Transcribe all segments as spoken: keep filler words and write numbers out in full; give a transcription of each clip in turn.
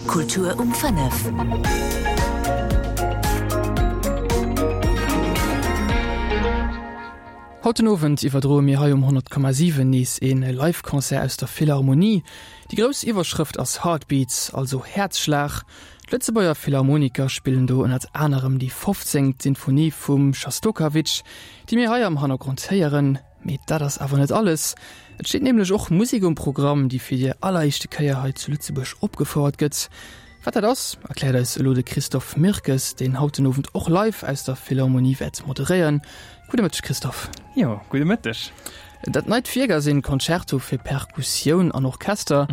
Kultur um fënnef. Haut den Owend iwwerdroe mir hei um honnert Komma siwen nees een Live-Concert aus der Philharmonie. Déi grouss Iwwerschrëft ass Heartbeats, also Häerzschlag. D'Lëtzebuerger Philharmoniker spillen do ënnert anerem déi fofzéngt Sinfonie vum Schostokowitsch, déi mir hei am Hannergrond héieren. Mee dat ass awer net alles. Et steet nämlech och Musek um Programm, déi fir déi alleréischte Kéier hei zu Lëtzebuerg opgefouert gëtt. Wat dat ass, erkläert eis elo de Christophe Mirkes, deen haut den Owend och live aus der Philharmonie wäert moderéieren. Gudde Mëtteg, Christophe. Jo, gudde Mëtteg. Dat neit Wierk ass een Concerto fir Perkussioun an Orchester.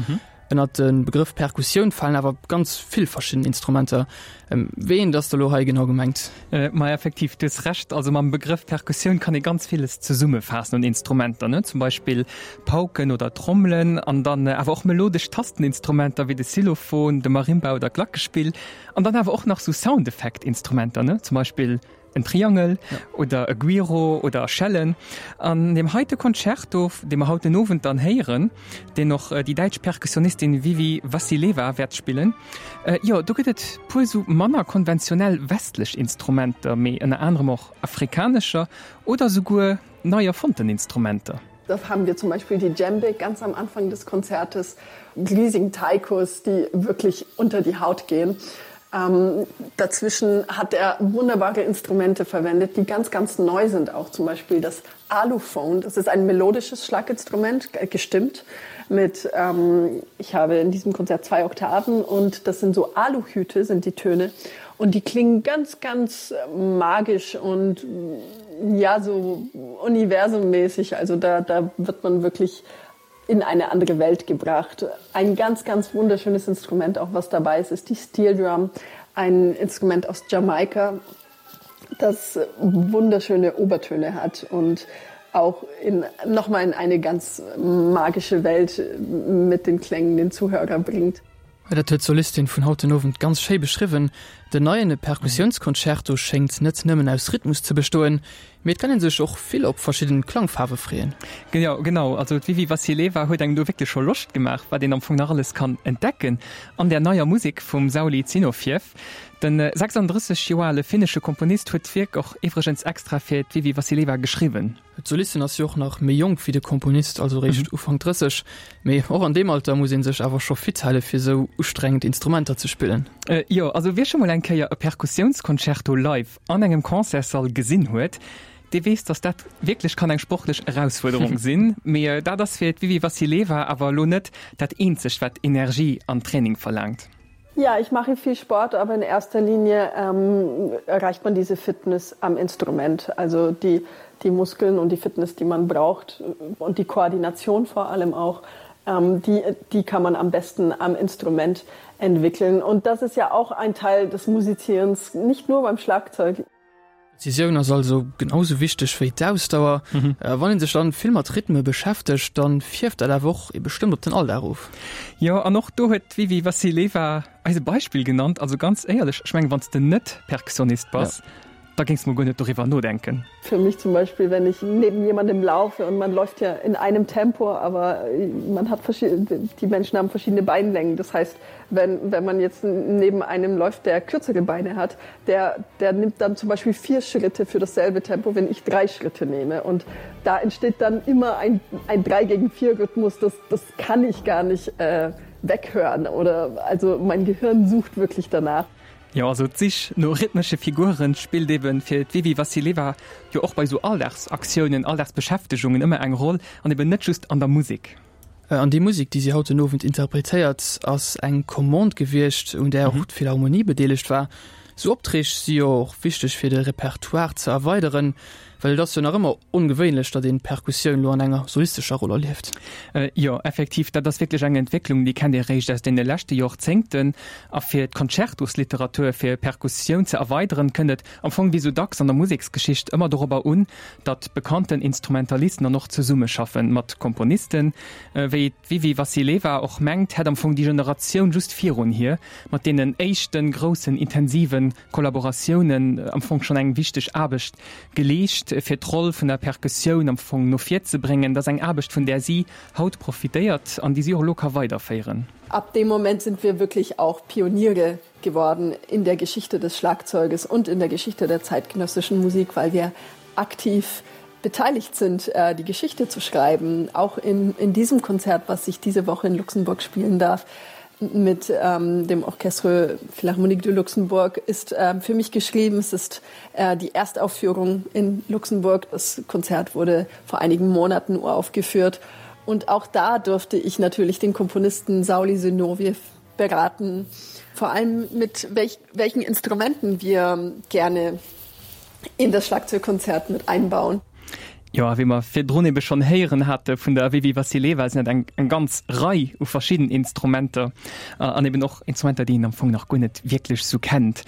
Ënnert de Begrëff Perkussioun falen awer ganz vill verschidden Instrumenter. Wéi eent ass da lo hei genau gemengt? Ma effektiv, du hues Recht. Also mam Begrëff Perkussioun kann ee ganz villes zesummefaassen un Instrumenter, ne? Zum Beispill Pauken oder Trommelen an dann awer och melodesch Tasteninstrumenter wéi de Xylophon, de Marimba oder d'Glackespill an dann awer och nach sou Soundeffekt-Instrumenter, ne? Zum Beispill en Triangel oder e Guiro oder Schellen. An deem heite Concerto, dee mer haut den Owend dann héieren, deen och déi däitsch Perkussionistin Vivi Vassileva wäert spillen, jo, do gëtt et puer sou manner konventionell westlech Instrumenter, mee ënner anerem och afrikanescher oder souguer nei erfonnten Instrumenter. Da haben wir zum Beispiel die Djembe ganz am Anfang des Konzertes, riesigen Taikos, die wirklich unter die Haut gehen. Ähm, dazwischen hat er wunderbare Instrumente verwendet, die ganz, ganz neu sind, auch zum Beispiel das Aluphone. Das ist ein melodisches Schlaginstrument, gestimmt mit, ähm, ich habe in diesem Konzert zwei Oktaven und das sind so Aluhüte, sind die Töne. Und die klingen ganz, ganz magisch und ja, so universummäßig. Also da, da wird man wirklich in eine andere Welt gebracht. Ein ganz, ganz wunderschönes Instrument, auch was dabei ist, ist die Steel Drum, ein Instrument aus Jamaika, das wunderschöne Obertöne hat und auch in, nochmal in eine ganz magische Welt mit den Klängen den Zuhörer bringt. Dat huet d'Solistin vun haut den Owend ganz schéi beschriwwen. Den neien Perkussiounsconcerto schéngt net nëmmen aus Rhythmus ze bestoen, mee et kann ee sech och vill op verschidden Klangfaarwe freeën. Jo, genau. Also d'Vivi Vassileva huet engem do wierklech scho Loscht gemaach, wat een am Fong nach alles kann entdecken an där neier Musek vum Sauli Zinovjev. De sechsanddrësseg Joer ale finnesche Komponist huet d'Wierk och iwwregens extra fir d'Vivi Vassileva geschriwwen. D'Solistin ass jo och nach méi jonk wéi de Komponist, also réischt Ufank drësseg. Mee och an deem Alter muss ee sech awer scho fit hale fir esou ustrengend Instrumenter ze spillen. Jo, also wie scho mol eng Kéier e Perkussiounsconcerto live an engem Concertssall gesinn huet, dee weess, datt dat wierklech kann eng sportlech Erausfuerderung sinn. Mee dat ass fir d'Vivi Vassileva awer elo net dat eenzegt, wat Energie an Training verlaangt. Ja, ich mache viel Sport, aber in erster Linie ähm, erreicht man diese Fitness am Instrument. Also die, die Muskeln und die Fitness, die man braucht und die Koordination vor allem auch, ähm, die, die kann man am besten am Instrument entwickeln. Und das ist ja auch ein Teil des Musizierens, nicht nur beim Schlagzeug. D'Prezisioun ass also genau sou wichteg wéi d'Ausdauer. Wann een sech dann vill mat Rhythme beschäftegt, dann fierft dat awer och bestëmmt op den Alldag of. Jo, an och do huet d'Vivi Vassileva eis e Beispill genannt. Also ganz éierlech, ech mengen, wann s de net Perkussionist bass, da géings de mol guer net doriwwer nodenken. Für mich zum Beispiel, wenn ich neben jemandem laufe und man läuft ja in einem Tempo, aber man hat die Menschen haben verschiedene Beinlängen. Das heißt, wenn, wenn man jetzt neben einem läuft, der kürzere Beine hat, der, der nimmt dann zum Beispiel vier Schritte für dasselbe Tempo, wenn ich drei Schritte nehme. Und da entsteht dann immer ein, ein drei gegen vier Rhythmus, das, das kann ich gar nicht äh, weghören oder also mein Gehirn sucht wirklich danach. Jo, also d'Sich no rhythmesche Figuren spillt eben fir d'Vivi Vassileva jo och bei sou Alldagsaktiounen, Alldagsbeschäftegungen ëmmer eng Roll an eben net just an der Musek. An déi Musek, déi si haut den Owend interpretéiert, ass eng Commande gewiescht, un där och d'Philharmonie bedeelegt war. Sou Opträg si jo och wichteg fir de Repertoire ze erweideren, well et ass jo nach ëmmer ongewéinlech, datt een d'Perkussioun lo an enger solistescher Roll erlieft. Jo, effektiv, dat ass wierklech eng Entwécklung, déi kennt ee réischt aus deene leschte Jorzéngten. A fir d'Concertosliteratur fir Perkussioun ze erweideren, kënnt et am Fong wéi sou dacks an der Museksgeschicht ëmmer dorobber un, datt bekannten Instrumentalisten dann och zesummeschaffen mat Komponisten. Wéi d'Vivi Vassileva och mengt, hätt am Fong déi Generatioun just virun hir mat deenen éischte groussen intensive Kollaboratiounen am Fong schonn eng wichteg Aarbecht geleescht. Aarbecht fir d'Roll vun der Perkussioun am Fong no vir ze bréngen, dat ass eng Aarbecht vun där si haut profitéiert an déi si och elo ka weiderféieren. Ab dem Moment sind wir wirklich auch Pioniere geworden in der Geschichte des Schlagzeuges und in der Geschichte der zeitgenössischen Musik, weil wir aktiv beteiligt sind, äh, die Geschichte zu schreiben, auch in, in diesem Konzert, was ich diese Woche in Luxemburg spielen darf mit ähm, dem Orchestre Philharmonique de Luxembourg ist äh, für mich geschrieben. Es ist äh, die Erstaufführung in Luxemburg. Das Konzert wurde vor einigen Monaten uraufgeführt. Und auch da durfte ich natürlich den Komponisten Sauli Zinoviev beraten, vor allem mit welch, welchen Instrumenten wir gerne in das Schlagzeugkonzert mit einbauen. Jo, a wéi mer virdrun ebe schonn héieren hate vun der Vivi Vassileva, sinn et eng eng ganz Rei u verschidden Instrumenter an eben och Instrumenter, déi een am Fong nach guer net wierklech sou kennt.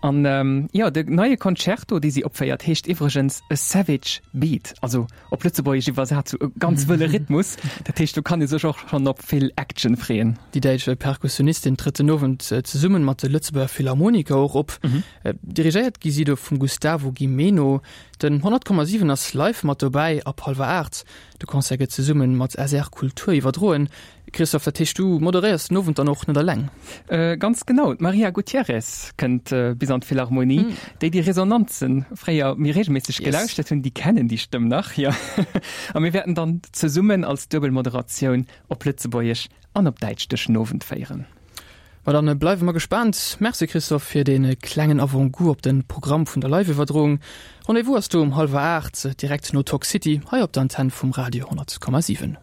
An jo, de neie Concerto, dee si opféiert, heescht iwwregens A Savage Beat, also op Lëtzebuergesch iwwersat sou e ganz wëlle Rhythmus. Dat heescht, do kann ee sech och schonn op vill Action freeën. Déi däitsch Perkussionistin trëtt den Owend zesummen mat de Lëtzebuerger Philharmoniker och op. Dirigéiert gi si do vum Gustavo Gimeno. Den honnert Komma siwen ass live mat dobäi ab hallwer aacht. De Concert gëtt zesumme mat S R Kultur iwwerdroen. Christophe, dat heescht du moderéiers den Owend dann och net eleng? Ganz genau, d'Maria Gutierrez kënnt bis an d'Philharmonie. Déi, déi Resonanzen fréier méi reegelméisseg gelauschtert hunn, déi kennen déi Stëmm nach, jo. A mir wäerten dann zesummen als Duebelmoderatioun op Lëtzebuergesch an op Däitsch duerch den Owend féieren. Ma dann bleiwe mer gespaant. Merci Christophe fir dee klengen Avant-goût op de Programm vun der Live-Iwwerdroung. Rendez-vous ass do um hallwer aacht, direkt no Talk City, hei op der Antenn vum Radio honnert Komma siwen.